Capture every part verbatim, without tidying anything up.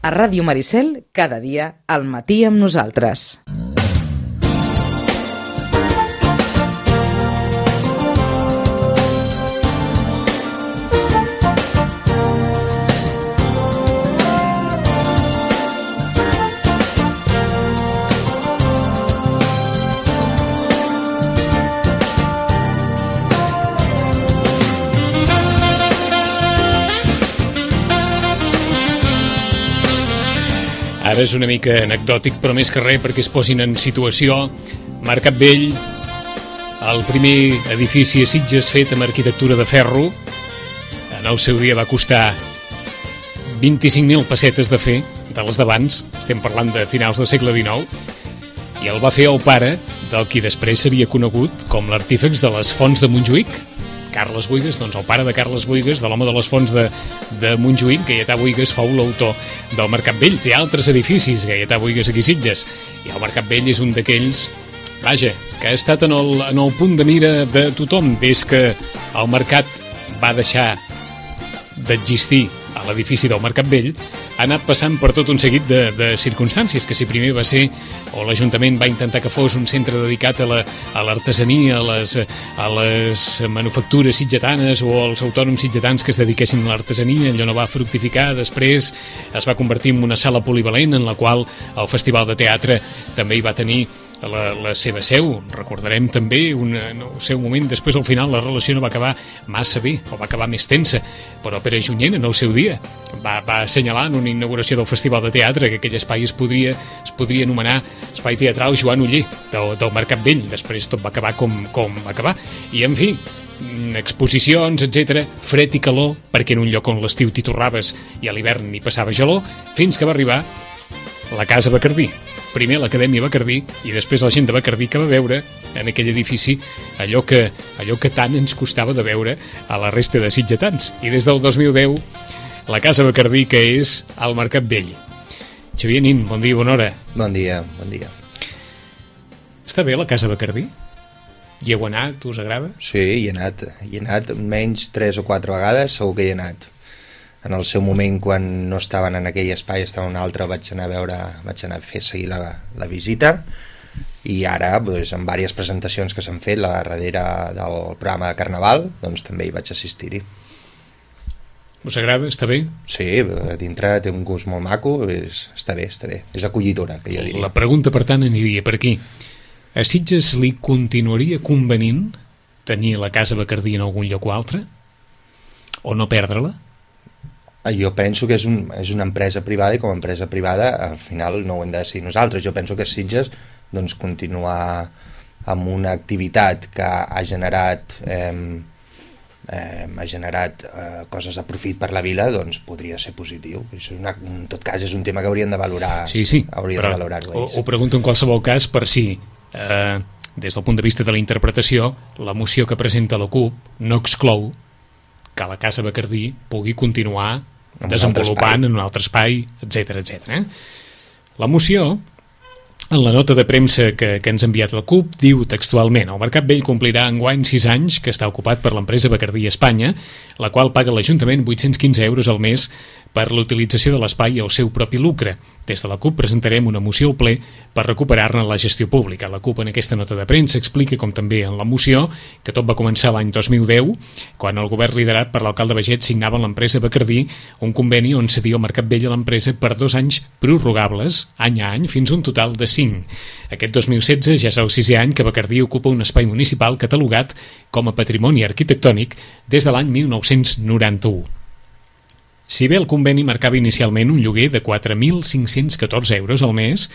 A Ràdio Maricel, cada dia, al matí amb nosaltres. Ara és una mica anecdòtic, però més que res perquè es posin en situació. Mercat Vell, el primer edifici a Sitges fet amb arquitectura de ferro, en el seu dia va costar vint-i-cinc mil pessetes de fer, de les d'abans, estem parlant de finals del segle dinou, i el va fer el pare del qui després seria conegut com l'artífex de les fonts de Montjuïc, Carles Buïgas, doncs el pare de Carles Buïgas, de l'home de les fonts de, de Montjuïc. Gaietà Buïgas fou l'autor del Mercat Vell. Té altres edificis, Gaietà Buïgas aquí a Sitges, i el Mercat Vell és un d'aquells, vaja, que ha estat en el, en el punt de mira de tothom des que el mercat va deixar d'existir a l'edifici del Mercat Vell. Ha anat passant per tot un seguit de, de circumstàncies, que si primer va ser, o l'Ajuntament va intentar que fos un centre dedicat a la, a l'artesania, a les, a les manufactures sitgetanes o als autònoms sitgetans que es dediquessin a l'artesania. Allò no va fructificar. Després es va convertir en una sala polivalent en la qual el Festival de Teatre també hi va tenir la, la seva seu. Recordarem també una, no, el seu moment. Després, al final, la relació no va acabar massa bé, o va acabar més tensa, però Pere Junyent, en el seu dia, va, va assenyalar en una inauguració del Festival de Teatre que aquell espai es podria, es podria anomenar Espai Teatral Joan Oller del, del Mercat Vell. Després tot va acabar com, com va acabar. I, en fi, exposicions, etcètera, fred i calor, perquè en un lloc on l'estiu t'hi torraves i a l'hivern hi passava gelor, fins que va arribar la Casa Bacardí. Primer l'Acadèmia Bacardí i després la gent de Bacardí que va veure en aquell edifici allò que, allò que tant ens costava de veure a la resta de sitgetans. I des del dos mil deu, la Casa Bacardí, que és al Mercat Vell. Xavier Nin, bon dia, bona hora. Bon dia, bon dia. Està bé la Casa Bacardí? Hi heu anat? Us agrada? Sí, hi he anat. Hi he anat menys tres o quatre vegades, segur que hi he anat. En el seu moment, quan no estaven en aquell espai, estava en un altre, vaig anar a veure, vaig anar a fer seguir la, la visita, i ara, doncs, en diverses presentacions que s'han fet, la darrere del programa de Carnaval, doncs també hi vaig assistir-hi. Us agrada? Està bé? Sí, a dintre té un gust molt maco, és, està bé, està bé. És acollidora, que jo diria. La pregunta, per tant, aniria per aquí. A Sitges li continuaria convenint tenir la Casa Bacardí en algun lloc o altre? O no perdre-la? Jo penso que és, un, és una empresa privada, i com a empresa privada al final no ho hem de decidir nosaltres. Jo penso que Sitges, doncs, continuar amb una activitat que ha generat eh, eh, ha generat eh, coses de profit per la vila, doncs podria ser positiu. Això és una, en tot cas és un tema que haurien de valorar. Sí, sí, hauria però de valorar-ho. Ho, ho pregunto en qualsevol cas per si eh, des del punt de vista de la interpretació, la moció que presenta la CUP no exclou que la Casa Bacardí pugui continuar en desenvolupant en un altre espai, etcètera, etcètera. La moció, en la nota de premsa que, que ens ha enviat la CUP, diu textualment: el Mercat Vell complirà enguany sis anys que està ocupat per l'empresa Bacardí Espanya, la qual paga a l'Ajuntament vuit-cents quinze euros al mes per l'utilització de l'espai i el seu propi lucre. Des de la CUP presentarem una moció al ple per recuperar-ne la gestió pública. La CUP en aquesta nota de premsa explica, com també en la moció, que tot va començar l'any dos mil deu, quan el govern liderat per l'alcalde Baget signava amb l'empresa Bacardí un conveni on cedia el Mercat Vell a l'empresa per dos anys prorrogables, any a any, fins a un total de cinc. Aquest dos mil setze ja és el sisè any que Bacardí ocupa un espai municipal catalogat com a patrimoni arquitectònic des de l'any mil nou-cents noranta-u. Si bé el conveni marcava inicialment un lloguer de quatre mil cinc-cents catorze euros al mes,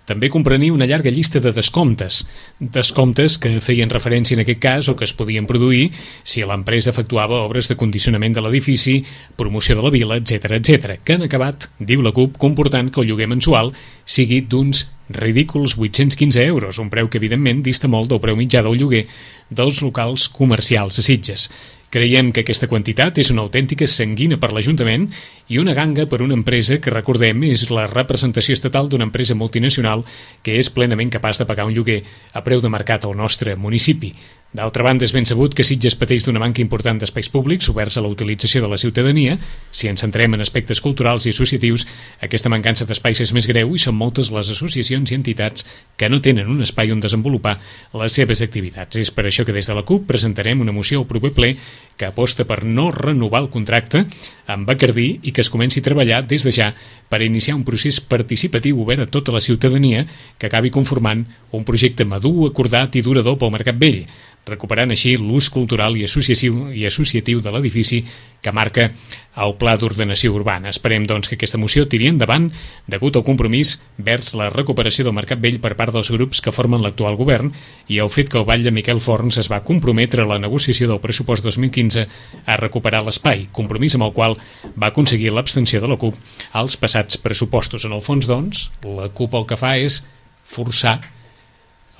també comprenia una llarga llista de descomptes, descomptes que feien referència en aquest cas o que es podien produir si l'empresa efectuava obres de condicionament de l'edifici, promoció de la vila, etcètera, etcètera, que han acabat, diu la CUP, comportant que el lloguer mensual sigui d'uns ridículs vuit-cents quinze euros, un preu que evidentment dista molt del preu mitjà del lloguer dels locals comercials a Sitges. Creiem que aquesta quantitat és una autèntica sanguina per l'Ajuntament i una ganga per una empresa que, recordem, és la representació estatal d'una empresa multinacional que és plenament capaç de pagar un lloguer a preu de mercat al nostre municipi. D'altra banda, és ben sabut que Sitges pateix d'una manca important d'espais públics oberts a la utilització de la ciutadania. Si ens centrem en aspectes culturals i associatius, aquesta mancança d'espais és més greu i són moltes les associacions i entitats que no tenen un espai on desenvolupar les seves activitats. És per això que des de la CUP presentarem una moció al proper ple que aposta per no renovar el contracte amb Bacardí i que es comenci a treballar des de ja per iniciar un procés participatiu obert a tota la ciutadania que acabi conformant un projecte madur, acordat i durador pel Mercat Vell, recuperant així l'ús cultural i associatiu, i associatiu de l'edifici que marca el Pla d'Ordenació Urbana. Esperem, doncs, que aquesta moció tiri endavant degut al compromís vers la recuperació del Mercat Vell per part dels grups que formen l'actual govern i el fet que el batlle Miquel Forns es va comprometre a la negociació del pressupost dos mil quinze a recuperar l'espai, compromís amb el qual va aconseguir l'abstenció de la CUP als passats pressupostos. En el fons, doncs, la CUP el que fa és forçar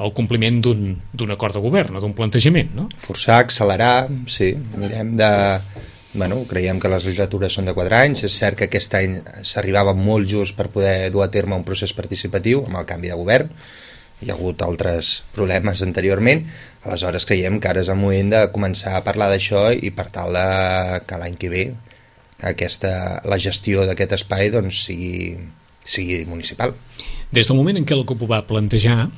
el compliment d'un d'un acord de govern o d'un plantejament, no? Forçar, accelerar, sí, mirem de... Bueno, creiem que les legislatures són de quatre anys, és cert que aquest any s'arribava molt just per poder dur a terme un procés participatiu amb el canvi de govern, hi ha hagut altres problemes anteriorment, aleshores creiem que ara és el moment de començar a parlar d'això i per tal de que l'any que ve aquesta, la gestió d'aquest espai doncs, sigui, sigui municipal. Des del moment en què la CUP ho va plantejar,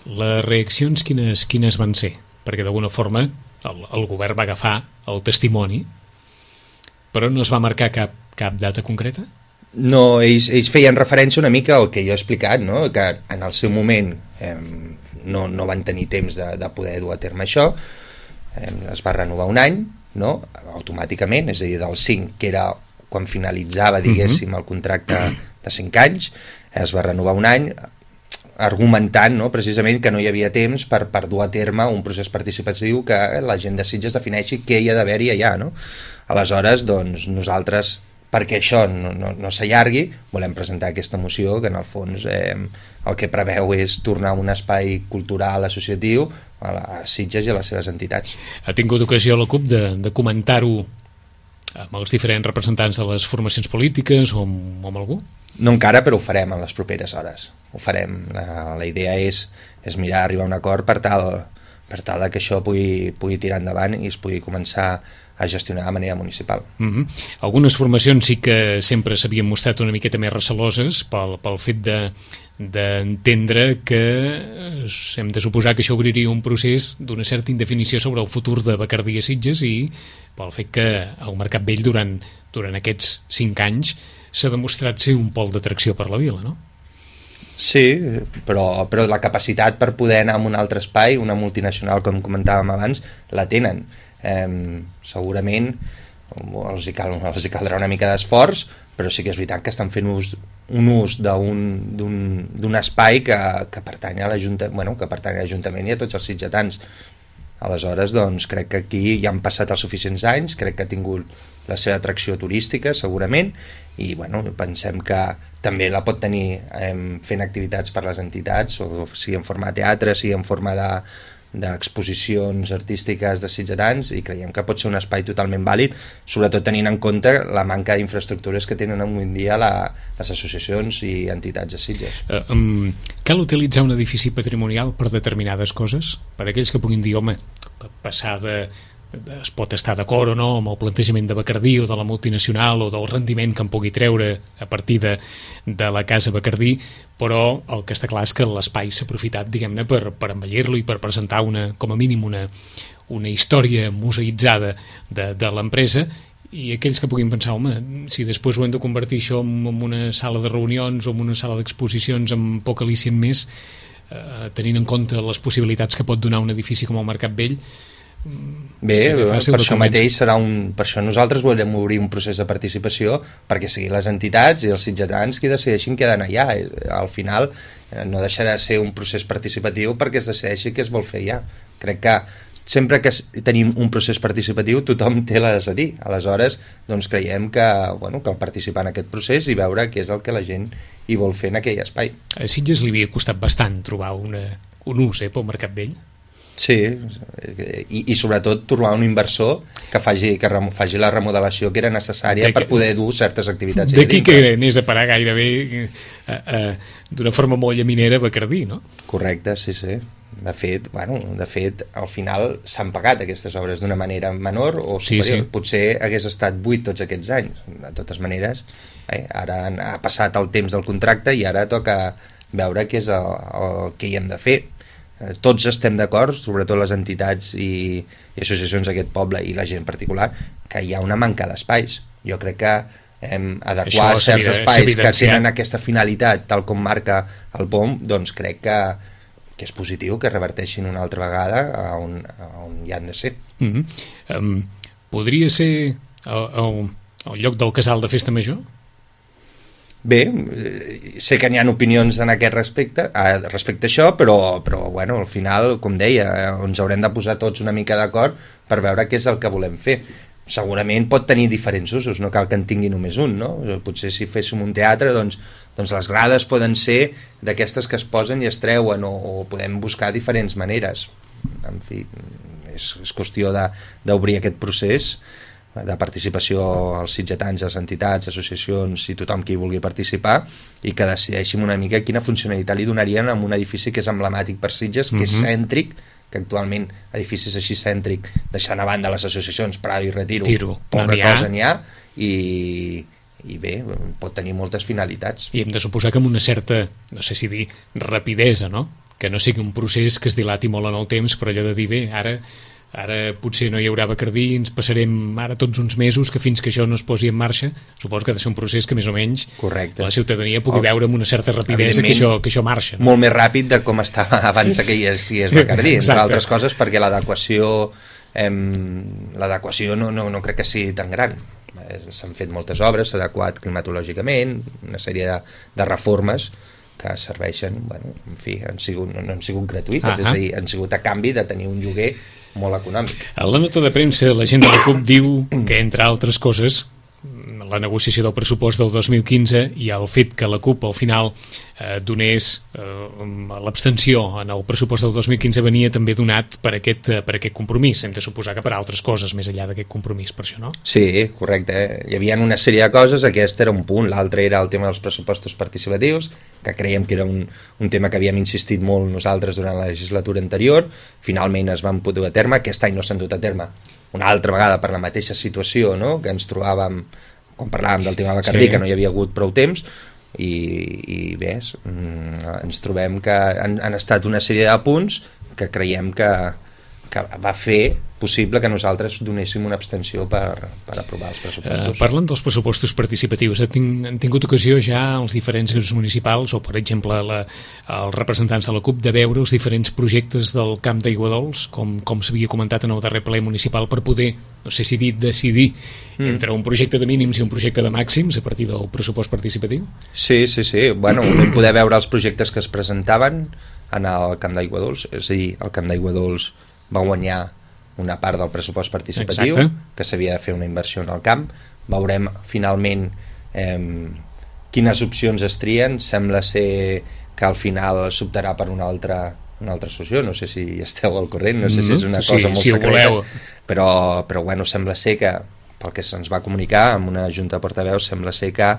les reaccions quines, quines van ser? Perquè d'alguna forma el, el govern va agafar el testimoni, però no es va marcar cap, cap data concreta? No, ells, ells feien referència una mica al que jo he explicat, no? Que en el seu moment eh, no, no van tenir temps de, de poder dur a terme això, eh, es va renovar un any, no? Automàticament, és a dir, del cinc, que era quan finalitzava, diguéssim, el contracte de cinc anys, es va renovar un any, argumentant, no, precisament que no hi havia temps per, per dur a terme un procés participatiu que la gent de Sitges defineixi què hi ha d'haver-hi allà, no? Aleshores, doncs, nosaltres, perquè això no, no, no s'allargui, volem presentar aquesta moció que en el fons eh, el que preveu és tornar a un espai cultural associatiu a, la, a Sitges i a les seves entitats. Ha tingut ocasió la CUP de, de comentar-ho amb els diferents representants de les formacions polítiques o amb, o amb algú? No encara, però ho farem en les properes hores. Ho farem. La, la idea és, és mirar arribar a un acord per tal, per tal que això pugui, pugui tirar endavant i es pugui començar a gestionar de manera municipal. Mm-hmm. Algunes formacions sí que sempre s'havien mostrat una miqueta més receloses pel, pel fet de d'entendre que hem de suposar que això obriria un procés d'una certa indefinició sobre el futur de Bacardí a Sitges i pel fet que el Mercat Vell durant, durant aquests cinc anys s'ha demostrat ser un pol d'atracció per la vila, no? Sí, però, però la capacitat per poder anar a un altre espai, una multinacional, com comentàvem abans, la tenen. Eh, segurament els hi, cal, els hi caldrà una mica d'esforç, però sí que és veritat que estan fent ús, un ús d'un espai que, que pertany a l'Ajuntament, bueno, que pertany a l'Ajuntament i a tots els sitgetans. Aleshores, doncs, crec que aquí ja han passat els suficients anys, crec que ha tingut la seva atracció turística, segurament, i bueno, pensem que també la pot tenir eh, fent activitats per les entitats, o sigui en forma de teatre, sigui en forma de d'exposicions artístiques de sitgetans, i creiem que pot ser un espai totalment vàlid, sobretot tenint en compte la manca d'infraestructures que tenen avui en dia la, les associacions i entitats de Sitges. Uh, um, cal utilitzar un edifici patrimonial per determinades coses? Per aquells que puguin dir, home, passar de... es pot estar d'acord o no amb el plantejament de Bacardí o de la multinacional o del rendiment que en pugui treure a partir de, de la casa Bacardí, però el que està clar és que l'espai s'ha aprofitat, diguem-ne, per, per embellir-lo i per presentar una, com a mínim una, una història museïtzada de, de l'empresa, i aquells que puguin pensar, home, si després ho hem de convertir això en, en una sala de reunions o en una sala d'exposicions amb poc al·licient més, eh, tenint en compte les possibilitats que pot donar un edifici com el Mercat Vell. Bé, per això mateix serà un... Per això nosaltres volem obrir un procés de participació perquè siguin les entitats i els sitgetans qui decideixin què d'anar allà. Al final no deixarà de ser un procés participatiu perquè es decideixi què es vol fer allà. Crec que sempre que tenim un procés participatiu tothom té les a dir. Aleshores, doncs creiem que, bueno, cal participar en aquest procés i veure què és el que la gent hi vol fer en aquell espai. A Sitges li havia costat bastant trobar una, un ús eh, pel Mercat Vell? Sí, i, i sobretot trobar un inversor que faci, que rem, faci la remodelació que era necessària que, per poder dur certes activitats. D'aquí que anés a parar gairebé eh, eh, d'una forma molt llaminera a Bacardí, no? Correcte, sí, sí. De fet, bueno, de fet, al final s'han pagat aquestes obres d'una manera menor o superior. Sí, sí. Potser hagués estat buit tots aquests anys. De totes maneres, eh, ara ha passat el temps del contracte i ara toca veure què és el, el que hi hem de fer. Tots estem d'acord, sobretot les entitats i, i associacions d'aquest poble i la gent en particular, que hi ha una manca d'espais. Jo crec que hem adequar certs espais que tenen aquesta finalitat, tal com marca el P O M, doncs crec que que és positiu que reverteixin una altra vegada a on, a on hi han de ser. Mm-hmm. um, Podria ser el, el, el lloc del casal de festa major? Bé, sé que n'hi ha opinions en aquest respecte, a, respecte a això, però, però bueno, al final, com deia, ens haurem de posar tots una mica d'acord per veure què és el que volem fer. Segurament pot tenir diferents usos, no cal que en tingui només un, no? Potser si féssim un teatre, doncs, doncs les grades poden ser d'aquestes que es posen i es treuen, o, o podem buscar diferents maneres. En fi, és, és qüestió d'obrir aquest procés de participació als sitgetans, les entitats, associacions i tothom qui vulgui participar, i que decideixin una mica quina funcionalitat li donarien a un edifici que és emblemàtic per Sitges, que és cèntric, que actualment edificis així cèntric, deixant a banda les associacions Prado i Retiro, Tiro, poca no cosa n'hi ha, i, i bé, pot tenir moltes finalitats. I hem de suposar que amb una certa, no sé si dir, rapidesa, no? Que no sigui un procés que es dilati molt en el temps, però allò de dir, bé, ara ara potser no hi haurà Bacardí, ens passarem ara tots uns mesos que fins que això no es posi en marxa, suposo que ha de ser un procés que més o menys Correcte. La ciutadania pugui el... veure amb una certa rapidesa que això, que això marxa. No? Molt més ràpid de com estava abans que hi és, hi és Bacardí, entre altres coses, perquè l'adequació eh, l'adequació no, no, no crec que sigui tan gran. S'han fet moltes obres, s'ha adequat climatològicament, una sèrie de, de reformes que serveixen, bueno, en fi, han sigut, no, no han sigut gratuïtes, és a dir, han sigut a canvi de tenir un lloguer molt econòmic. A la nota de premsa, la gent de la CUP diu que, entre altres coses, la negociació del pressupost del dos mil quinze i el fet que la CUP al final eh, donés eh, l'abstenció en el pressupost del dos mil quinze venia també donat per aquest, eh, per aquest compromís. Hem de suposar que per altres coses més enllà d'aquest compromís, per això, no? Sí, correcte. Eh? Hi havia una sèrie de coses, aquest era un punt, l'altre era el tema dels pressupostos participatius, que creiem que era un, un tema que havíem insistit molt nosaltres durant la legislatura anterior, finalment es van dur a terme, aquest any no s'han dut a terme una altra vegada per la mateixa situació, no?, que ens trobàvem quan parlàvem del tema de Bacardí, sí, que no hi havia hagut prou temps, i, i bé, ens trobem que han, han estat una sèrie de punts que creiem que, que va fer possible que nosaltres donéssim una abstenció per, per aprovar els pressupostos. Uh, parlant dels pressupostos participatius, han, han tingut ocasió ja els diferents grups municipals, o per exemple la, els representants de la CUP, de veure els diferents projectes del Camp d'Aiguadols, com, com s'havia comentat en el darrer ple municipal, per poder, no sé si dir, decidir mm. entre un projecte de mínims i un projecte de màxims a partir del pressupost participatiu? Sí, sí, sí. Bueno, vam poder veure els projectes que es presentaven en el Camp d'Aiguadols, és a dir, el Camp d'Aiguadols va guanyar una part del pressupost participatiu. Exacte. Que s'havia de fer una inversió en el camp. Veurem finalment eh, quines opcions es trien. Sembla ser que al final s'optarà per una altra, una altra solució, no sé si esteu al corrent, no sé si és una cosa sí, molt si secreta, però, però bueno, sembla ser que, pel que se'ns va comunicar amb una junta de portaveus, sembla ser que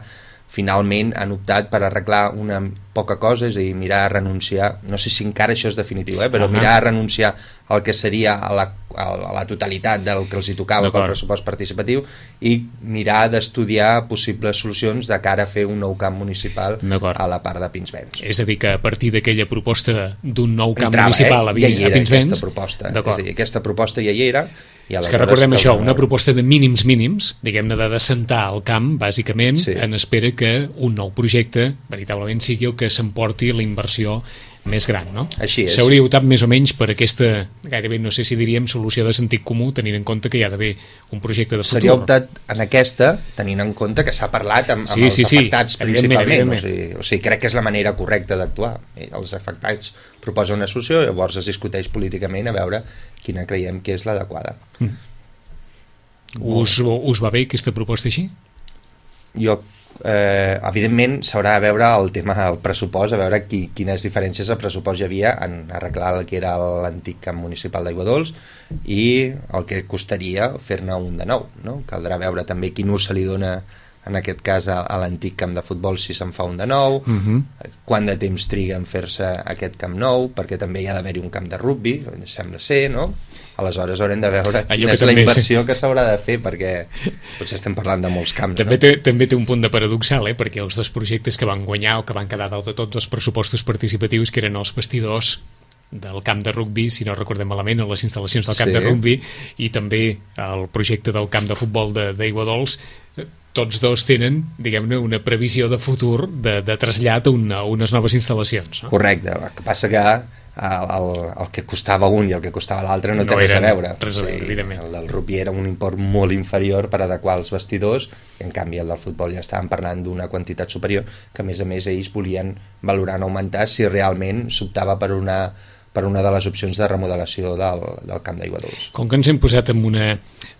finalment han optat per arreglar una poca cosa, és a dir, mirar a renunciar, no sé si encara això és definitiu, eh, però uh -huh. mirar a renunciar al que seria a la, a la totalitat del que els hi tocava pel pressupost participatiu i mirar d'estudiar possibles solucions de cara a fer un nou camp municipal a la part de Pinsbens. És a dir, que a partir d'aquella proposta d'un nou camp Entrava, municipal eh? ja a Pinsbens... Aquesta proposta, és a dir, aquesta proposta ja hi era. És que recordem això, una proposta de mínims mínims, diguem-ne de descentar el camp, bàsicament, sí. en espera que un nou projecte veritablement sigui el que s'emporti la inversió més gran, no? Així és. S'hauria optat més o menys per aquesta, gairebé no sé si diríem, solució de sentit comú, tenint en compte que hi ha d'haver un projecte de futur. S'hauria optat en aquesta, tenint en compte que s'ha parlat amb, amb sí, els sí, afectats sí. principalment. Evidentment, evidentment. O, sigui, o sigui, crec que és la manera correcta d'actuar. Els afectats proposen una solució, llavors es discuteix políticament a veure quina creiem que és l'adequada. Mm. Us, us va bé aquesta proposta així? Jo Eh, evidentment s'haurà de veure el tema del pressupost, a veure qui, quines diferències de pressupost hi havia en arreglar el que era l'antic camp municipal d'Aiguadols i el que costaria fer-ne un de nou, no? Caldrà veure també quin ús se li dona en aquest cas a, a l'antic camp de futbol si se'n fa un de nou, uh-huh. quant de temps triga en fer-se aquest camp nou, perquè també hi ha d'haver-hi un camp de rugbi, sembla ser, no? Aleshores haurem de veure quina és la inversió sí. que s'haurà de fer, perquè potser estem parlant de molts camps. També, no? té, també té un punt de paradoxal, eh? Perquè els dos projectes que van guanyar o que van quedar dalt de tot dos pressupostos participatius, que eren els vestidors del camp de rugbi, si no recordem malament, o les instal·lacions del camp sí. de rugbi, i també el projecte del camp de futbol d'Aiguadols, tots dos tenen, diguem-ne, una previsió de futur de, de trasllat a, una, a unes noves instal·lacions. No? Correcte, el que passa que el, el, el que costava un i el que costava l'altre no, no té res a veure. Res a veure, sí, evidentment. El del rugbi era un import molt inferior per adequar els vestidors, i en canvi el del futbol ja estàvem parlant d'una quantitat superior, que a més a més ells volien valorar en augmentar si realment s'optava per una per una de les opcions de remodelació del, del camp d'Aiguadols. Com que ens hem posat en una,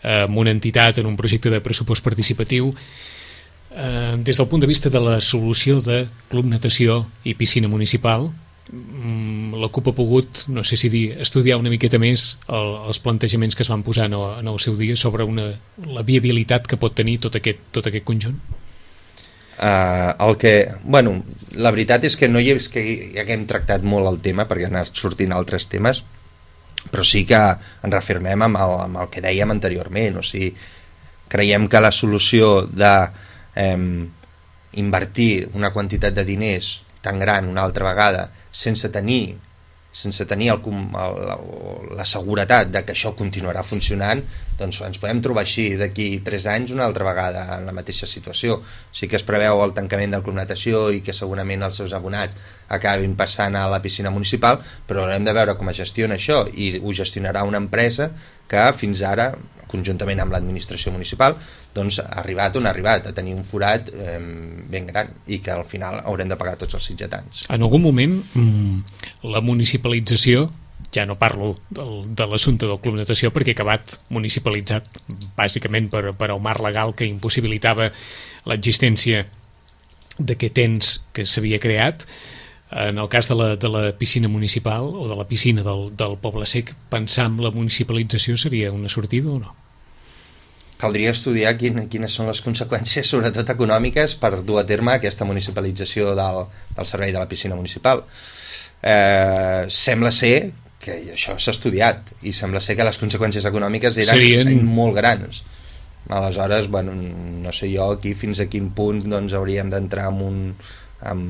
en una entitat, en un projecte de pressupost participatiu, eh, des del punt de vista de la solució de club natació i piscina municipal, la CUP ha pogut, no sé si dir, estudiar una miqueta més el, els plantejaments que es van posar en el, en el seu dia sobre una, la viabilitat que pot tenir tot aquest, tot aquest conjunt? Uh, el que, bueno, la veritat és que no hi és que ja que hem tractat molt el tema perquè han anat sortint altres temes, però sí que ens reafirmem amb el, amb el que dèiem anteriorment, o sigui, creiem que la solució de eh, invertir una quantitat de diners tan gran una altra vegada sense tenir sense tenir el, el, la, la seguretat de que això continuarà funcionant, doncs ens podem trobar així d'aquí tres anys una altra vegada en la mateixa situació. Sí que es preveu el tancament del club natació i que segurament els seus abonats acabin passant a la piscina municipal, però haurem de veure com es gestiona això, i ho gestionarà una empresa que fins ara, conjuntament amb l'administració municipal, doncs ha arribat on ha arribat, a tenir un forat eh, ben gran, i que al final haurem de pagar tots els sitgetans. En algun moment la municipalització, ja no parlo del, de l'assumpte del club natació perquè ha acabat municipalitzat bàsicament per, per el marc legal que impossibilitava l'existència d'aquest ens que s'havia creat. En el cas de la, de la piscina municipal o de la piscina del, del Poble Sec, pensar en la municipalització seria una sortida o no? Caldria estudiar quin, quines són les conseqüències, sobretot econòmiques, per dur a terme aquesta municipalització del, del servei de la piscina municipal. Eh, sembla ser que això s'ha estudiat, i sembla ser que les conseqüències econòmiques eren Serien... molt grans. Aleshores, bueno, no sé jo aquí fins a quin punt doncs, hauríem d'entrar en un... En,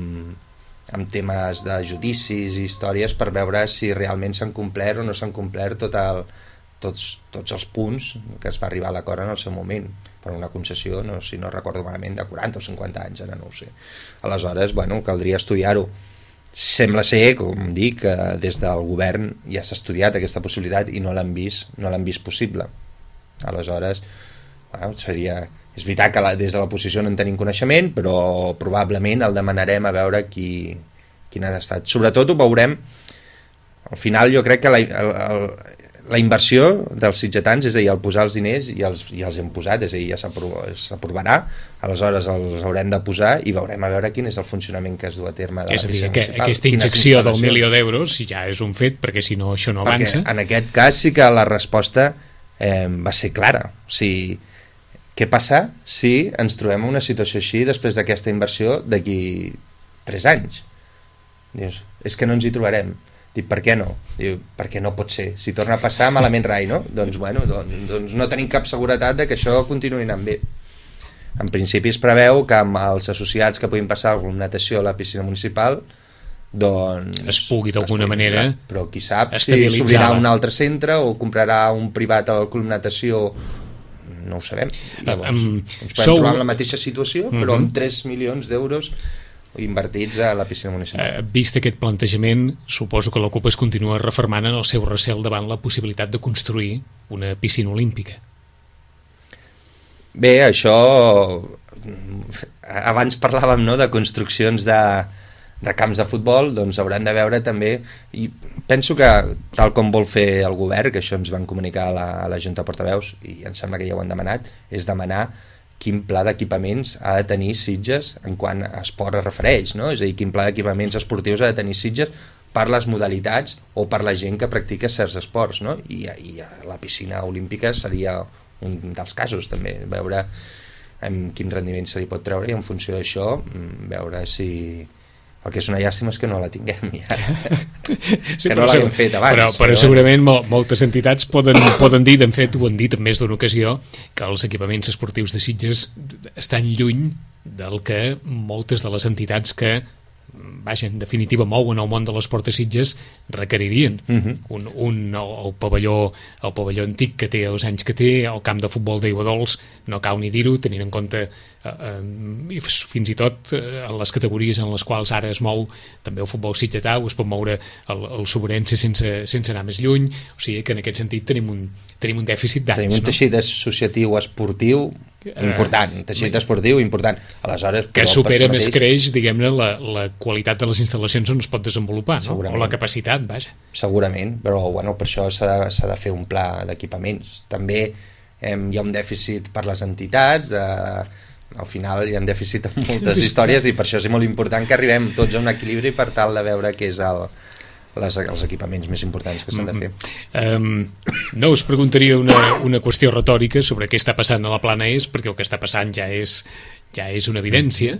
amb temes de judicis i històries per veure si realment s'han complert o no s'han complert tot el, tots, tots els punts que es va arribar a l'acord en el seu moment per una concessió, no, si no recordo malament, de quaranta o cinquanta anys, ara no ho sé. Aleshores, bueno, caldria estudiar-ho. Sembla ser, com dic, que des del govern ja s'ha estudiat aquesta possibilitat i no l'han vist, no l'han vist possible. Aleshores, bueno, seria... És veritat que la, des de l'oposició no en tenim coneixement, però probablement el demanarem a veure qui, quin ha estat. Sobretot ho veurem, al final jo crec que la, el, el, la inversió dels sitgetans, és a dir, el posar els diners, i els, i els hem posat, és a dir, ja s'aprovarà, aleshores els haurem de posar i veurem a veure quin és el funcionament que es du a terme de és la piscina municipal. És a dir, aquesta injecció del milió d'euros ja és un fet, perquè si no això no avança. Perquè en aquest cas sí que la resposta eh, va ser clara, o sigui, què passa si ens trobem en una situació així després d'aquesta inversió d'aquí tres anys? Dius, és que no ens hi trobarem. Dic, per què no? Diu, perquè no pot ser. Si torna a passar, malament rai, no? Doncs, bueno, doncs, doncs no tenim cap seguretat de que això continuï anant bé. En principi es preveu que amb els associats que puguin passar alguna natació a la piscina municipal doncs... Es pugui d'alguna manera estabilitzar. Però qui sap si s'obrirà un altre centre o comprarà un privat al club natació, no ho sabem. Llavors, um, ens podem sou... trobar en la mateixa situació, però uh-huh. amb tres milions d'euros invertits a la piscina municipal. Uh, vist aquest plantejament, suposo que la CUP es continua refermant en el seu recel davant la possibilitat de construir una piscina olímpica. Bé, això... Abans parlàvem, no?, de construccions de, de camps de futbol, doncs hauran de veure també, i penso que tal com vol fer el govern, que això ens van comunicar a la, a la Junta de Portaveus, i em sembla que ja ho han demanat, és demanar quin pla d'equipaments ha de tenir Sitges en quant a esport es refereix, no? És a dir, quin pla d'equipaments esportius ha de tenir Sitges per les modalitats o per la gent que practica certs esports, no? I, i la piscina olímpica seria un dels casos també, veure amb quin rendiment se li pot treure, i en funció d'això veure si... El que és una llàstima és que no la tinguem ja. Sí, que no l'haguem fet abans. Però, però, però segurament mol, moltes entitats poden, poden dir, de fet ho han dit en més d'una ocasió, que els equipaments esportius de Sitges estan lluny del que moltes de les entitats que, vaja, en definitiva mouen el món de l'esport a Sitges requeririen. Uh-huh. un, un, el, el, pavelló, el pavelló antic que té els anys que té, el camp de futbol d'Aigua Dols, no cal ni dir-ho, tenint en compte eh, eh, fins i tot eh, en les categories en les quals ara es mou també el futbol sitgetà, o es pot moure el, el Sobrense sense, sense anar més lluny, o sigui que en aquest sentit tenim un, tenim un dèficit d'anys. Tenim un teixit no? associatiu esportiu important, un teixit uh, esportiu important. Aleshores, que supera més creix, diguem-ne, la, la qualitat de les instal·lacions on es pot desenvolupar, no? O la capacitat, vaja. Segurament, però bueno, per això s'ha de, s'ha de fer un pla d'equipaments. També eh, hi ha un dèficit per les entitats, eh, al final hi ha un dèficit en moltes històries, i per això és molt important que arribem tots a un equilibri per tal de veure què és el, les, els equipaments més importants que s'han de fer. Um, no us preguntaria una, una qüestió retòrica sobre què està passant a la Plana Est, perquè el que està passant ja és, ja és una evidència,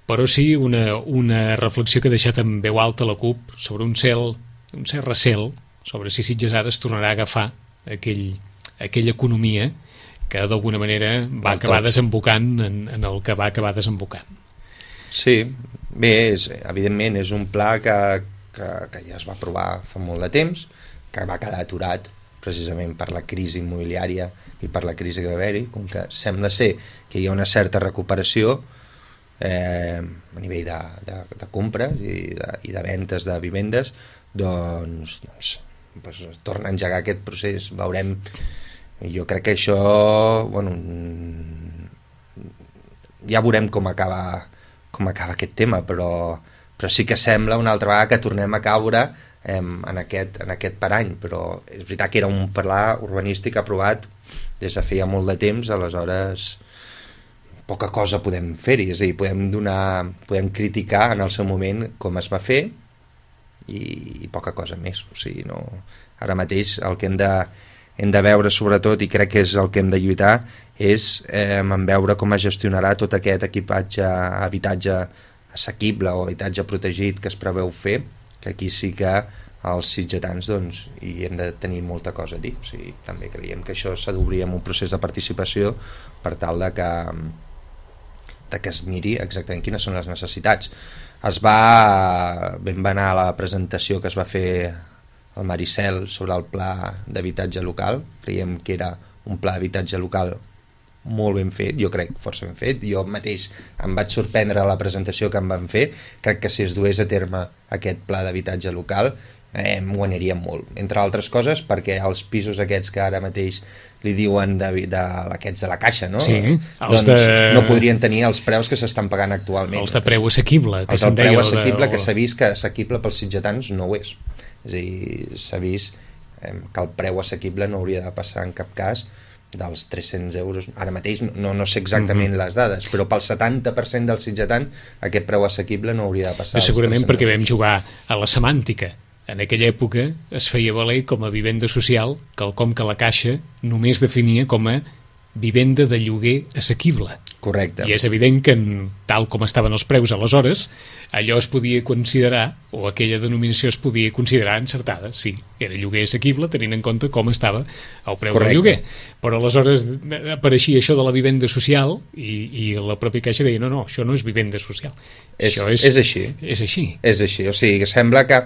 però sí una, una reflexió que ha deixat en veu alta la CUP sobre un cel, un cert recel sobre si Sitges ara es tornarà a agafar aquell, aquella economia que d'alguna manera va acabar desembocant en, en el que va acabar desembocant. Sí, bé, és, evidentment és un pla que, que, que ja es va aprovar fa molt de temps, que va quedar aturat precisament per la crisi immobiliària i per la crisi que va haver-hi, com que sembla ser que hi ha una certa recuperació eh, a nivell de, de, de compres i de, i de ventes de vivendes, doncs, doncs, doncs es torna a engegar aquest procés, veurem. Jo crec que això, bueno, ja veurem com acaba, com acaba aquest tema, però, però sí que sembla una altra vegada que tornem a caure eh, en, aquest, en aquest parany, però és veritat que era un pla urbanístic aprovat des de feia molt de temps, aleshores poca cosa podem fer-hi, és a dir, podem donar, podem criticar en el seu moment com es va fer i, i poca cosa més, o sigui, no, ara mateix el que hem de hem de veure sobretot, i crec que és el que hem de lluitar, és eh, en veure com es gestionarà tot aquest equipatge, habitatge assequible o habitatge protegit que es preveu fer, que aquí sí que els sitgetans doncs, hi hem de tenir molta cosa a dir. O sigui, també creiem que això s'ha d'obrir amb un procés de participació per tal de que, de que es miri exactament quines són les necessitats. Es va, vam anar a la presentació que es va fer el Maricel sobre el pla d'habitatge local, creiem que era un pla d'habitatge local molt ben fet, jo crec força ben fet, jo mateix em vaig sorprendre a la presentació que em van fer, crec que si es dués a terme aquest pla d'habitatge local eh, m'ho aniríem molt, entre altres coses perquè els pisos aquests que ara mateix li diuen de, de, aquests de la Caixa, no? Sí, doncs de... no podrien tenir els preus que s'estan pagant actualment. Els de preu assequible, que els se'n de deia. preu assequible, de... que s'ha vist que assequible pels sitgetans no ho és. És a dir, s'ha vist eh, que el preu assequible no hauria de passar en cap cas dels tres-cents euros. Ara mateix no, no sé exactament uh-huh. les dades, però pel setanta per cent del sitgetant aquest preu assequible no hauria de passar. Segurament perquè vam jugar a la semàntica. En aquella època es feia valer com a vivenda social quelcom que la Caixa només definia com a vivenda de lloguer assequible. Correcte. I és evident que, en, tal com estaven els preus aleshores, allò es podia considerar, o aquella denominació es podia considerar encertada. Sí, era lloguer assequible, tenint en compte com estava el preu Correcte. Del lloguer. Però aleshores apareixia això de la vivenda social i, i la pròpia Caixa deia no, no, això no és vivenda social. És, això és, és així. És així. És així, o sigui, que sembla que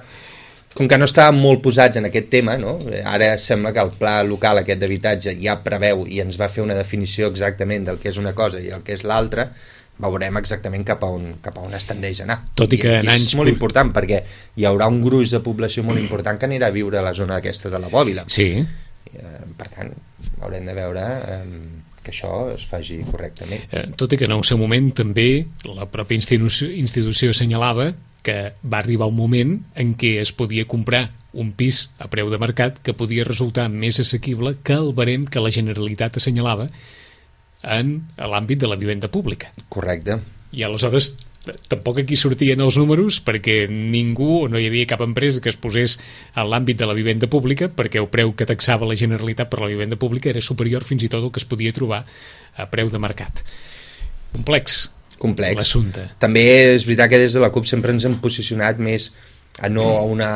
com que no estàvem molt posats en aquest tema, no? Ara sembla que el pla local aquest d'habitatge ja preveu i ens va fer una definició exactament del que és una cosa i el que és l'altra, veurem exactament cap a on, cap a on es tendeix a anar. Tot i que I en anys... és molt important perquè hi haurà un gruix de població molt important que anirà a viure a la zona aquesta de la Bòbila. Sí. Per tant, haurem de veure eh, que això es faci correctament. Tot i que en el seu moment també la pròpia institució, institució assenyalava que va arribar un moment en què es podia comprar un pis a preu de mercat que podia resultar més assequible que el barem que la Generalitat assenyalava en l'àmbit de la vivenda pública. Correcte. I aleshores tampoc aquí sortien els números perquè ningú, o no hi havia cap empresa que es posés en l'àmbit de la vivenda pública perquè el preu que taxava la Generalitat per la vivenda pública era superior fins i tot al que es podia trobar a preu de mercat. complex, complex. l'assumpte. També és veritat que des de la CUP sempre ens hem posicionat més a no a una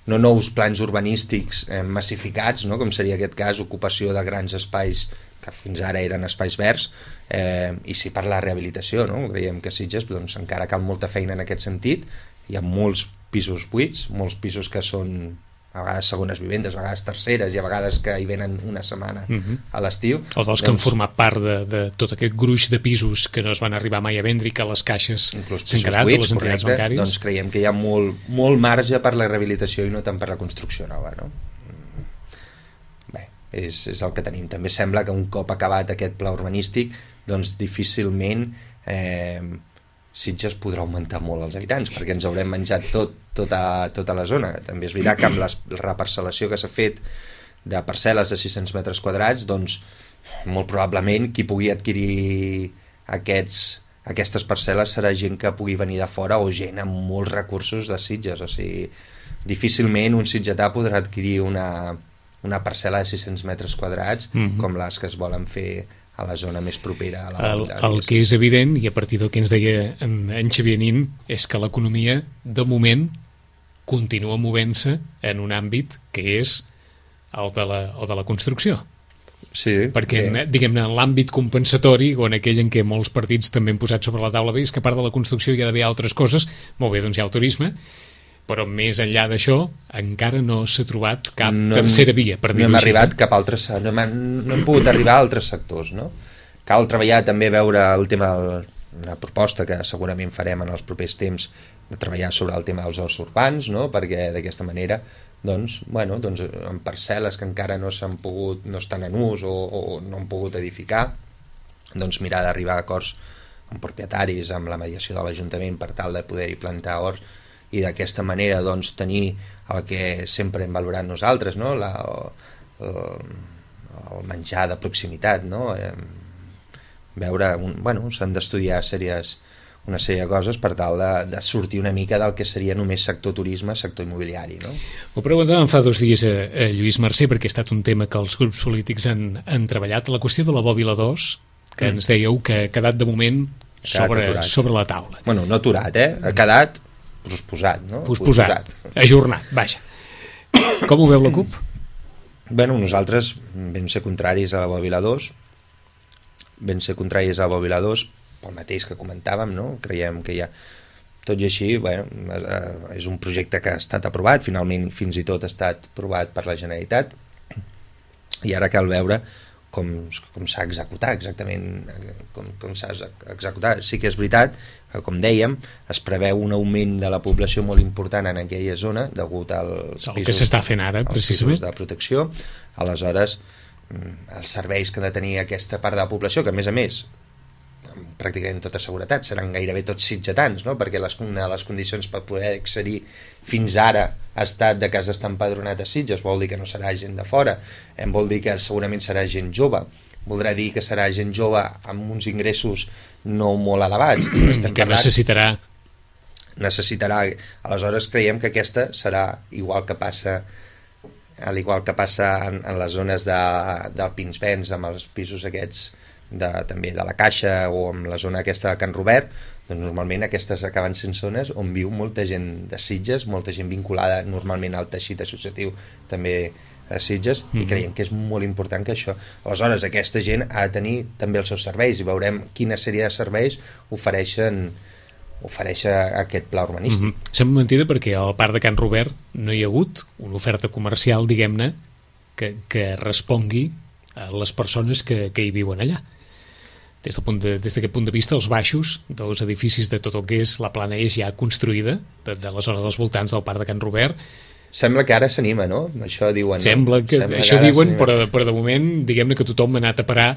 no nous plans urbanístics eh, massificats, no? Com seria aquest cas, ocupació de grans espais que fins ara eren espais verds, eh, i sí per la rehabilitació, no? Creiem que a Sitges doncs, encara cal molta feina en aquest sentit, hi ha molts pisos buits, molts pisos que són a vegades segones vivendes, a vegades terceres i a vegades que hi venen una setmana uh-huh. a l'estiu. O dels que doncs, han format part de, de tot aquest gruix de pisos que no es van arribar mai a vendre i que les caixes s'han quedat, buits, o les entitats correcte, bancàries. Doncs creiem que hi ha molt, molt marge per la rehabilitació i no tant per la construcció nova, no? Bé, és, és el que tenim. També sembla que un cop acabat aquest pla urbanístic, doncs difícilment eh, Sitges podrà augmentar molt els habitants, perquè ens haurem menjat tot, tota, tota la zona. També és veritat que amb la reparcel·lació que s'ha fet de parcel·les de sis-cents metres quadrats, doncs molt probablement qui pugui adquirir aquests, aquestes parcel·les serà gent que pugui venir de fora o gent amb molts recursos de Sitges. O sigui, difícilment un sitgetà podrà adquirir una, una parcel·la de sis-cents metres quadrats mm-hmm. com les que es volen fer a la zona més propera a la el, el que és evident, i a partir del que ens deia en, en Xavier Nin, és que l'economia de moment continua movent-se en un àmbit que és el de la, el de la construcció. Sí, perquè en, diguem-ne, en l'àmbit compensatori, o en aquell en què molts partits també han posat sobre la taula, bé, és que a part de la construcció hi ha d'haver altres coses, molt bé, doncs hi ha el turisme, però més enllà d'això encara no s'ha trobat cap no, tercera via, per dir-ho no hem així. Arribat cap altre, no, hem, no hem pogut arribar a altres sectors, no? Cal treballar també, veure el tema de una proposta que segurament farem en els propers temps, de treballar sobre el tema dels horts urbans, no? Perquè d'aquesta manera doncs, bueno, doncs, en parcel·les que encara no s'han pogut, no estan en ús o, o no han pogut edificar, doncs mirar d'arribar a acords amb propietaris, amb la mediació de l'Ajuntament per tal de poder-hi plantar horts, i d'aquesta manera doncs, tenir el que sempre hem valorat nosaltres, no? la, el, el menjar de proximitat, no? Eh, veure, un, bueno, s'han d'estudiar sèries, una sèrie de coses per tal de, de sortir una mica del que seria només sector turisme, sector immobiliari, no? Ho preguntàvem fa dos dies a, a Lluís Mercè, perquè ha estat un tema que els grups polítics han, han treballat, la qüestió de la Bòbila dos, que mm. ens dèieu que ha quedat de moment sobre, sobre la taula. Bueno, no aturat, eh? Ha quedat posposat, no? Posposat, ajornat, vaja. Com ho veu la CUP? Bueno, nosaltres vam ser contraris a la Bòbila dos, vam ser contraris a la Bòbila dos pel mateix que comentàvem, no? Creiem que hi ha... Tot i així, bueno, és un projecte que ha estat aprovat, finalment fins i tot ha estat aprovat per la Generalitat, i ara cal veure com, com s'ha executat exactament, com, com s'ha executat. Sí que és veritat que, com dèiem, es preveu un augment de la població molt important en aquella zona degut als el pisos, que s'està fent ara, precisament, de protecció. Aleshores, els serveis que ha de tenir aquesta part de la població, que a més a més pràcticament tota seguretat seran gairebé tots sitgetans, no? Perquè les, una de les condicions per poder accedir fins ara ha estat de que has d'estar empadronat a Sitges, vol dir que no serà gent de fora, em vol dir que segurament serà gent jove, voldrà dir que serà gent jove amb uns ingressos no molt elevats, que parlant, necessitarà necessitarà aleshores creiem que aquesta serà igual que passa al igual que passa en, en les zones de, del Pinsbens, amb els pisos aquests de, també de la Caixa o amb la zona aquesta de Can Robert, doncs normalment aquestes acaben sent zones on viu molta gent de Sitges, molta gent vinculada normalment al teixit associatiu també a Sitges, mm-hmm. i creiem que és molt important que això, aleshores aquesta gent ha de tenir també els seus serveis i veurem quina sèrie de serveis ofereixen ofereix aquest pla urbanístic. Mm-hmm. Sembla mentida perquè al parc de Can Robert no hi ha hagut una oferta comercial, diguem-ne, que, que respongui a les persones que, que hi viuen allà. Des del punt de, des d'aquest punt de vista, els baixos dels edificis de tot el que és la plana eix ja construïda, de, de la zona dels voltants del parc de Can Robert. Sembla que ara s'anima, no? Això diuen. Sembla que, Sembla això que diuen, però, però de moment, diguem-ne que tothom ha anat a parar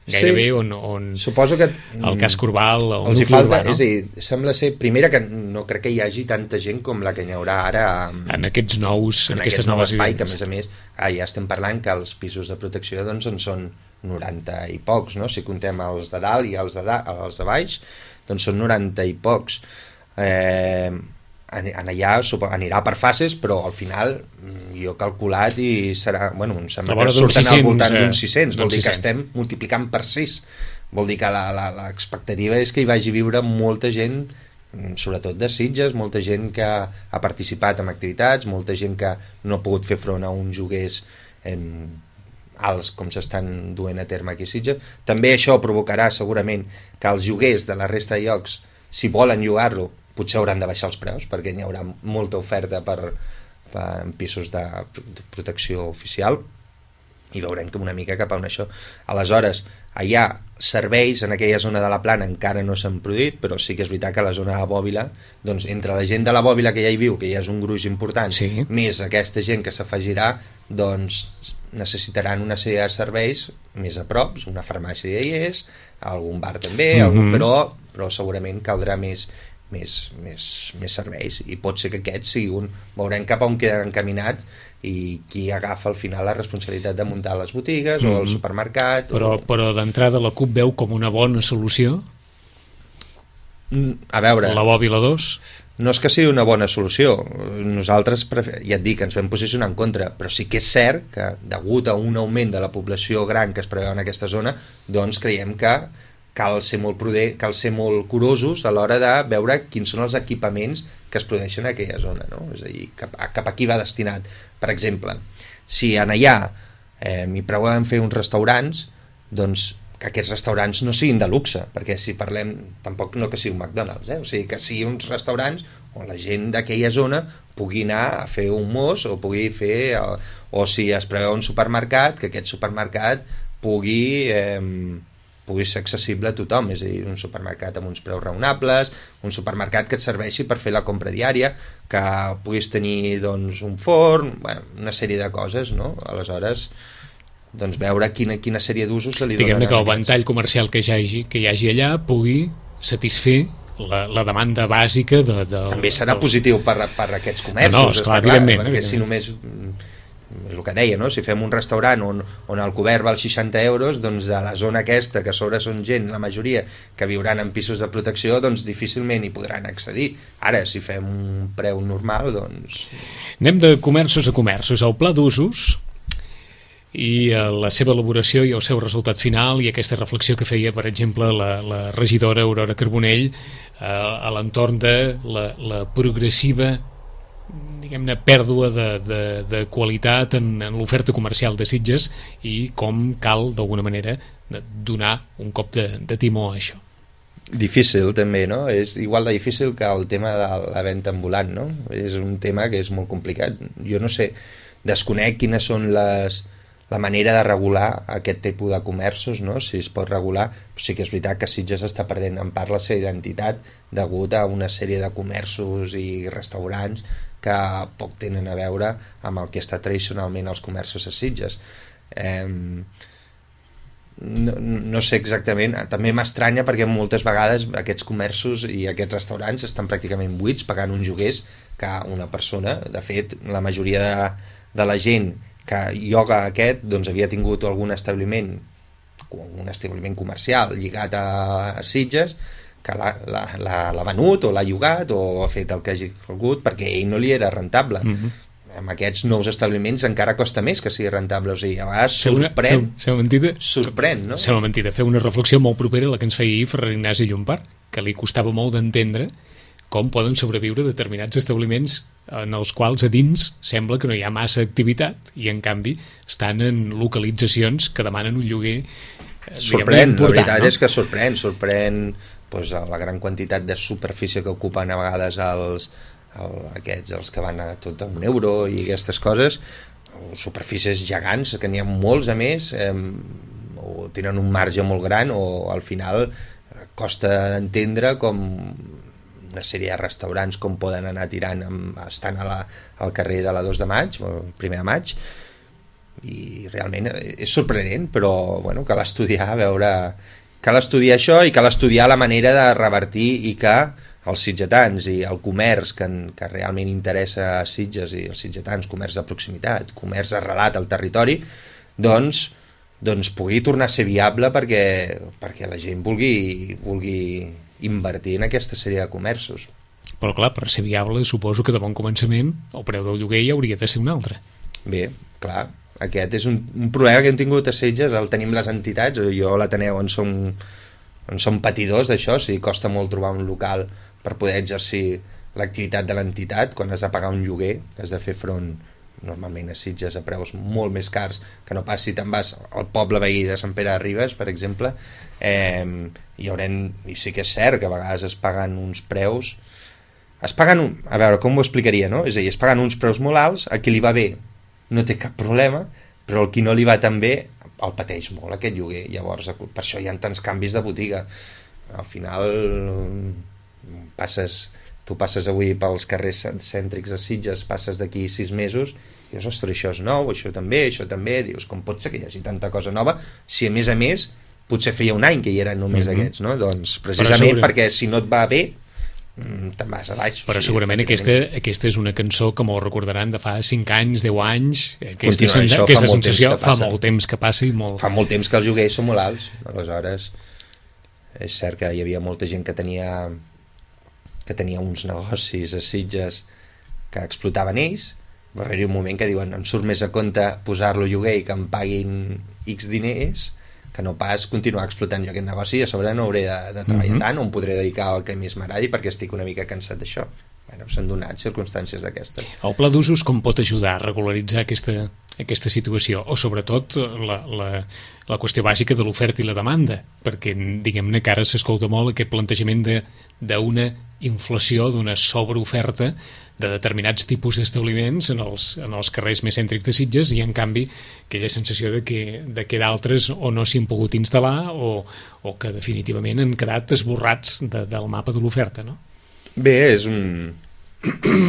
gairebé sí, on, on suposo que el cas Corbal o el nucli falta, urbà, no? És a dir, sembla ser, primera que no crec que hi hagi tanta gent com la que hi haurà ara amb, en aquests nous en, en aquestes aquestes noves espai, que a més a més ah, ja estem parlant que els pisos de protecció doncs en són noranta i pocs, no? Si contem els de dalt i els de, da, els de baix, doncs són noranta i pocs. Eh, en, en allà anirà per fases, però al final jo he calculat i serà, bueno, em sembla que surten al voltant d'uns sis-cents, vol dir que estem multiplicant per sis vol dir que l'expectativa és que hi vagi a viure molta gent, sobretot de Sitges, molta gent que ha participat en activitats, molta gent que no ha pogut fer front a uns lloguers eh, alts com s'estan duent a terme aquí a Sitges. També això provocarà segurament que els lloguers de la resta de llocs, si volen llogar-lo, potser hauran de baixar els preus, perquè n'hi haurà molta oferta per, per en pisos de, de protecció oficial, i veurem que una mica cap a on això. Aleshores, hi ha serveis en aquella zona de la Plana encara no s'han produït, però sí que és veritat que a la zona de Bòbila, doncs entre la gent de la Bòbila que ja hi viu, que ja és un gruix important, sí, més aquesta gent que s'afegirà, doncs necessitaran una sèrie de serveis més a prop, una farmàcia ja hi és, algun bar també, mm-hmm. algun, però, però segurament caldrà més, més, més, més serveis, i pot ser que aquest sigui un... Veurem cap a on queden encaminats i qui agafa al final la responsabilitat de muntar les botigues mm-hmm. o el supermercat. Però, o... però d'entrada la CUP veu com una bona solució? A veure... La Bòbila dos? No és que sigui una bona solució. Nosaltres, ja et dic, ens vam posicionar en contra, però sí que és cert que, degut a un augment de la població gran que es preveu en aquesta zona, doncs creiem que cal ser molt prudent, cal ser molt curosos a l'hora de veure quins són els equipaments que es produeixen en aquella zona, no? És a dir, cap a, cap a qui va destinat. Per exemple, si en allà eh, m'hi preveuen fer uns restaurants, doncs que aquests restaurants no siguin de luxe, perquè si parlem, tampoc no que sigui un McDonald's, eh? O sigui, que siguin uns restaurants on la gent d'aquella zona pugui anar a fer un mos, o pugui fer, o, o si es preveu un supermercat, que aquest supermercat pugui, eh, pugui ser accessible a tothom, és a dir, un supermercat amb uns preus raonables, un supermercat que et serveixi per fer la compra diària, que puguis tenir doncs, un forn, bueno, una sèrie de coses, no? Aleshores, doncs veure quina, quina sèrie d'usos se li donen. Diguem-ne que el ventall comercial que hi hagi, que hi hagi allà pugui satisfer la, la demanda bàsica de, de, també serà dels... positiu per, per aquests comerços, no, no, esclar, clar, perquè evidentment. Si només, el que deia, no? Si fem un restaurant on, on el cobert val seixanta euros, doncs de la zona aquesta, que a sobre són gent, la majoria, que viuran en pisos de protecció, doncs difícilment hi podran accedir. Ara, si fem un preu normal, doncs... Anem de comerços a comerços. El pla d'usos i la seva elaboració i el seu resultat final, i aquesta reflexió que feia, per exemple, la, la regidora Aurora Carbonell eh, a l'entorn de la, la progressiva, diguem-ne, pèrdua de, de, de qualitat en, en l'oferta comercial de Sitges, i com cal, d'alguna manera, donar un cop de, de timó a això. Difícil també, no? És igual de difícil que el tema de la venda ambulant, no? És un tema que és molt complicat. Jo no sé, desconec quines són les... la manera de regular aquest tipus de comerços, no? Si es pot regular, sí que és veritat que Sitges està perdent en part la seva identitat degut a una sèrie de comerços i restaurants que poc tenen a veure amb el que està tradicionalment els comerços a Sitges. Eh, no, no sé exactament, també m'estranya perquè moltes vegades aquests comerços i aquests restaurants estan pràcticament buits, pagant uns lloguers que una persona, de fet la majoria de, de la gent que ioga aquest, doncs havia tingut algun establiment, un establiment comercial lligat a, a Sitges, que l'ha venut o l'ha llogat o ha fet el que hagi volgut perquè ell no li era rentable. Mm-hmm. Amb aquests nous establiments encara costa més que sigui rentable, o sigui, a vegades sorprèn, seu, seu sorprèn, no? Sembla mentida, fer una reflexió molt propera a la que ens feia ahir Ferran Ignasi Llompart, que li costava molt d'entendre com poden sobreviure determinats establiments en els quals a dins sembla que no hi ha massa activitat i en canvi estan en localitzacions que demanen un lloguer sorprèn, la veritat, no? És que sorprèn sorprèn doncs, la gran quantitat de superfície que ocupen a vegades els, el, aquests, els que van a tot a un euro i aquestes coses, superfícies gegants, que n'hi ha molts a més, eh, o tenen un marge molt gran, o al final costa d'entendre com una sèrie de restaurants com poden anar tirant amb, estan a la, al carrer de la dos de maig, el primer de maig, i realment és sorprenent, però bueno, cal estudiar, a veure, cal estudiar això i cal estudiar la manera de revertir i que els sitgetans i el comerç que, que realment interessa a Sitges i els sitgetans, comerç de proximitat, comerç arrelat al territori, doncs, doncs pugui tornar a ser viable perquè, perquè la gent vulgui, vulgui invertir en aquesta sèrie de comerços. Però clar, per ser viable suposo que de bon començament el preu del lloguer ja hauria de ser un altre. Bé, clar, aquest és un, un problema que hem tingut a Sitges, el tenim les entitats, jo a l'Ateneu on som doncs són patidors d'això, o sigui, costa molt trobar un local per poder exercir l'activitat de l'entitat, quan has de pagar un lloguer, has de fer front normalment a Sitges a preus molt més cars que no pas si te'n vas al poble veí de Sant Pere de Ribes, per exemple. eh, hi haurem, i sí que és cert que a vegades es paguen uns preus es paguen, un, a veure, com ho explicaria, no? És a dir, es paguen uns preus molt alts, a qui li va bé no té cap problema, però al qui no li va tan bé el pateix molt aquest lloguer. Llavors, per això hi ha tants canvis de botiga. Al final passes tu passes avui pels carrers cèntrics de Sitges, passes d'aquí sis mesos i dius, ostres, això és nou, això també, això també, dius, com pot ser que hi hagi tanta cosa nova si a més a més potser feia un any que hi eren només mm-hmm. aquests, no? Doncs precisament segurament... perquè si no et va bé te'n vas a baix. Però o sigui, segurament aquesta, aquesta és una cançó que m'ho recordaran de fa cinc anys, deu anys, aquesta, sen això, aquesta fa sensació fa molt temps que passa i molt... Fa molt temps que els lloguers són molt alts, aleshores és cert que hi havia molta gent que tenia que tenia uns negocis a Sitges que explotaven ells, va haver-hi un moment que diuen, em surt més a compte posar-lo a lloguer i que em paguin X diners que no pas continuar explotant jo aquest negoci i a sobre no hauré de, de treballar mm-hmm. tant o em podré dedicar al que més m'agradi perquè estic una mica cansat d'això. Bueno, s'han donat circumstàncies d'aquestes. El pla d'usos com pot ajudar a regularitzar aquesta, aquesta situació? O sobretot la, la, la qüestió bàsica de l'oferta i la demanda? Perquè, diguem-ne, que ara s'escolta molt aquest plantejament d'una inflació, d'una sobreoferta de determinats tipus d'establiments en els, en els carrers més cèntrics de Sitges i, en canvi, aquella sensació de que, de que d'altres o no s'hi han pogut instal·lar o, o que definitivament han quedat esborrats de, del mapa de l'oferta, no? Bé, és un...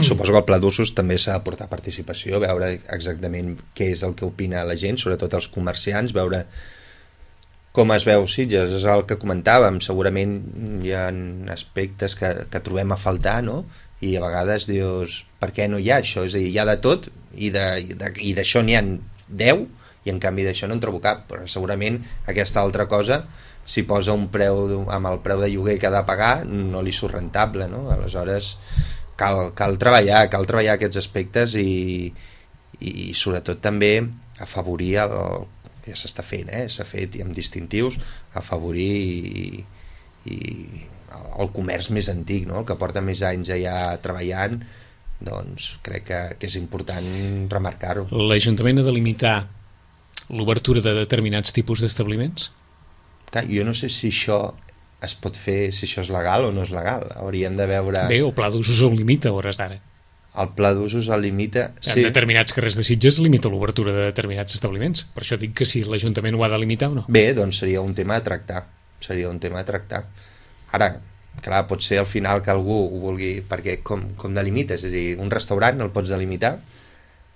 Suposo que el pla d'usos també s'ha de portar participació, veure exactament què és el que opina la gent, sobretot els comerciants, veure com es veu Sitges, és el que comentàvem, segurament hi ha aspectes que, que trobem a faltar, no? I a vegades dius, per què no hi ha això? És a dir, hi ha de tot i d'això n'hi ha deu i en canvi d'això no en trobo cap, però segurament aquesta altra cosa, si posa un preu amb el preu de lloguer que ha de pagar, no li surt rentable, no? Aleshores cal, cal treballar, cal treballar aquests aspectes i, i sobretot també afavorir el, ja s'està fent, eh? S'ha fet i amb distintius, afavorir i, i el comerç més antic, no? El que porta més anys allà treballant, doncs crec que, que és important remarcar-ho. L'Ajuntament ha de limitar l'obertura de determinats tipus d'establiments? Jo no sé si això es pot fer, si això és legal o no és legal. Hauríem de veure... Bé, el pla d'usos el limita a hores d'ara. El pla d'usos el limita... En sí. determinats carrers de Sitges limita l'obertura de determinats establiments. Per això dic que si l'Ajuntament ho ha de limitar o no. Bé, doncs seria un tema a tractar. Seria un tema a tractar. Ara, clar, pot ser al final que algú ho vulgui... Perquè com, com delimites? És a dir, un restaurant el pots delimitar?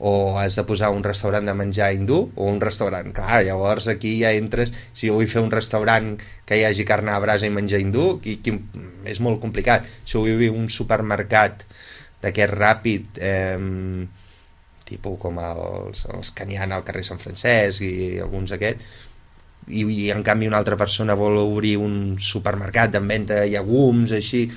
O has de posar un restaurant de menjar hindú o un restaurant? Clar, llavors aquí ja entres... Si jo vull fer un restaurant que hi hagi carn a brasa i menjar hindú, qui, qui, és molt complicat. Si vull fer un supermercat d'aquest ràpid, eh, tipus com els, els que n'hi ha al carrer Sant Francesc i alguns d'aquests, i, i en canvi una altra persona vol obrir un supermercat en venda de llegums, així,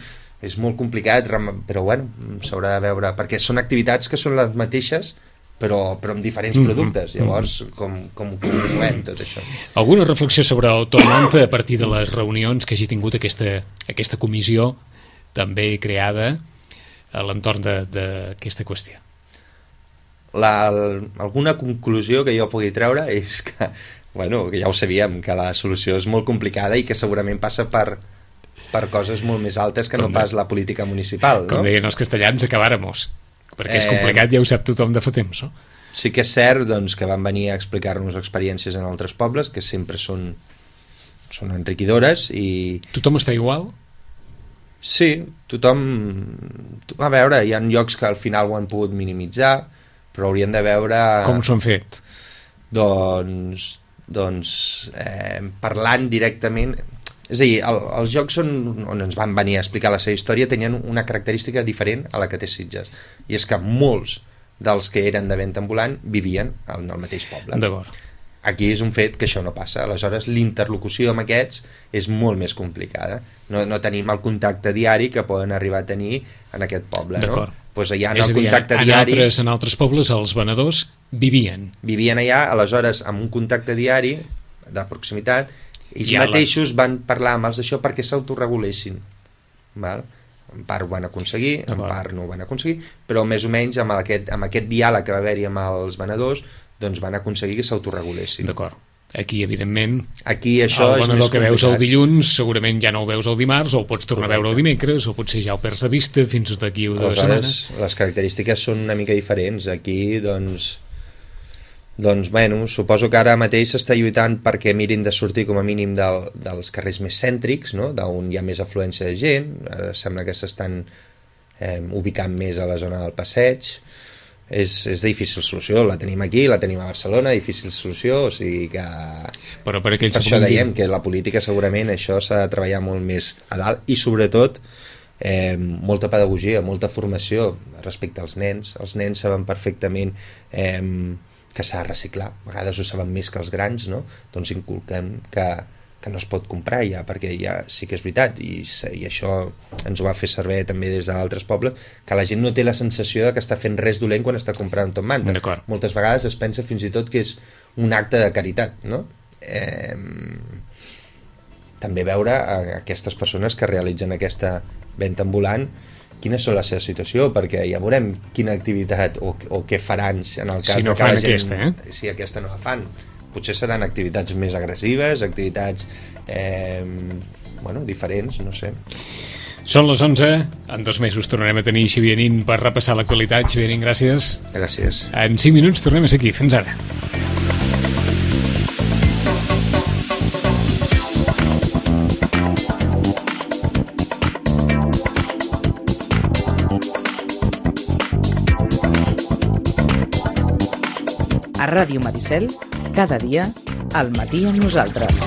és molt complicat, però bueno, s'haurà de veure, perquè són activitats que són les mateixes, però, però amb diferents productes, llavors com, com ho conjuguem tot això. Alguna reflexió sobre el Tormenta a partir de les reunions que hagi tingut aquesta, aquesta comissió també creada a l'entorn d'aquesta qüestió? La, alguna conclusió que jo pugui treure és que, bueno, que ja ho sabíem, que la solució és molt complicada i que segurament passa per, per coses molt més altes que com no de, pas la política municipal. Com no? deien els castellans, acabáramos, perquè és complicat, eh, ja ho sap tothom de fa temps, no? Sí que és cert doncs, que van venir a explicar-nos experiències en altres pobles, que sempre són, són enriquidores i... Tothom està igual? Sí, tothom... A veure, hi ha llocs que al final ho han pogut minimitzar, però haurien de veure... Com s'ho han fet? Doncs, doncs eh, parlant directament... És a dir, el, els jocs on, on ens van venir a explicar la seva història tenien una característica diferent a la que té Sitges, i és que molts dels que eren de venda ambulant vivien en el mateix poble. D'acord. Aquí és un fet que això no passa, aleshores l'interlocució amb aquests és molt més complicada, no, no tenim el contacte diari que poden arribar a tenir en aquest poble, no? Pues allà en és el a dir, contacte en, diari altres, en altres pobles els venedors vivien vivien allà, aleshores amb un contacte diari de proximitat ells ja mateixos la... van parlar amb els d'això perquè s'autoregulessin, val? En part ho van aconseguir, en part no ho van aconseguir, però més o menys amb aquest, amb aquest diàleg que va haver-hi amb els venedors, doncs van aconseguir que s'autoregulessin. D'acord. Aquí, evidentment, Aquí això el venedor que veus el complicat. dilluns segurament ja no el veus el dimarts, o el pots tornar a veure el dimecres, o potser ja el perds de vista fins d'aquí o dues setmanes. Les característiques són una mica diferents. Aquí, doncs, doncs, bueno, suposo que ara mateix s'està lluitant perquè mirin de sortir com a mínim del, dels carrers més cèntrics, no? D'on hi ha més afluència de gent. Ara sembla que s'estan eh, ubicant més a la zona del passeig. És, és de difícil solució, la tenim aquí, la tenim a Barcelona, difícil solució, o sigui que... Però per, per això dèiem que la política segurament això s'ha de treballar molt més a dalt i sobretot eh, molta pedagogia, molta formació respecte als nens. Els nens saben perfectament eh, que s'ha de reciclar, a vegades ho saben més que els grans, no? Doncs inculquen que, que no es pot comprar ja, perquè ja sí que és veritat, i, i això ens ho va fer servir també des d'altres pobles, que la gent no té la sensació de que està fent res dolent quan està comprant tot manta. Moltes vegades es pensa fins i tot que és un acte de caritat, no? Eh, també veure a aquestes persones que realitzen aquesta venda ambulant quina és la seva situació, perquè ja veurem quina activitat o, o què faran en el cas si no de que fan la gent, aquesta, eh? si aquesta no la fan. Potser seran activitats més agressives, activitats eh, bueno, diferents, no sé. Són les onze, en dos mesos tornarem a tenir Xavier Nin per repassar l'actualitat. Xavier Nin, gràcies. Gràcies. En cinc minuts tornem a ser aquí. Fins ara. A Ràdio Maricel, cada dia, al matí amb nosaltres.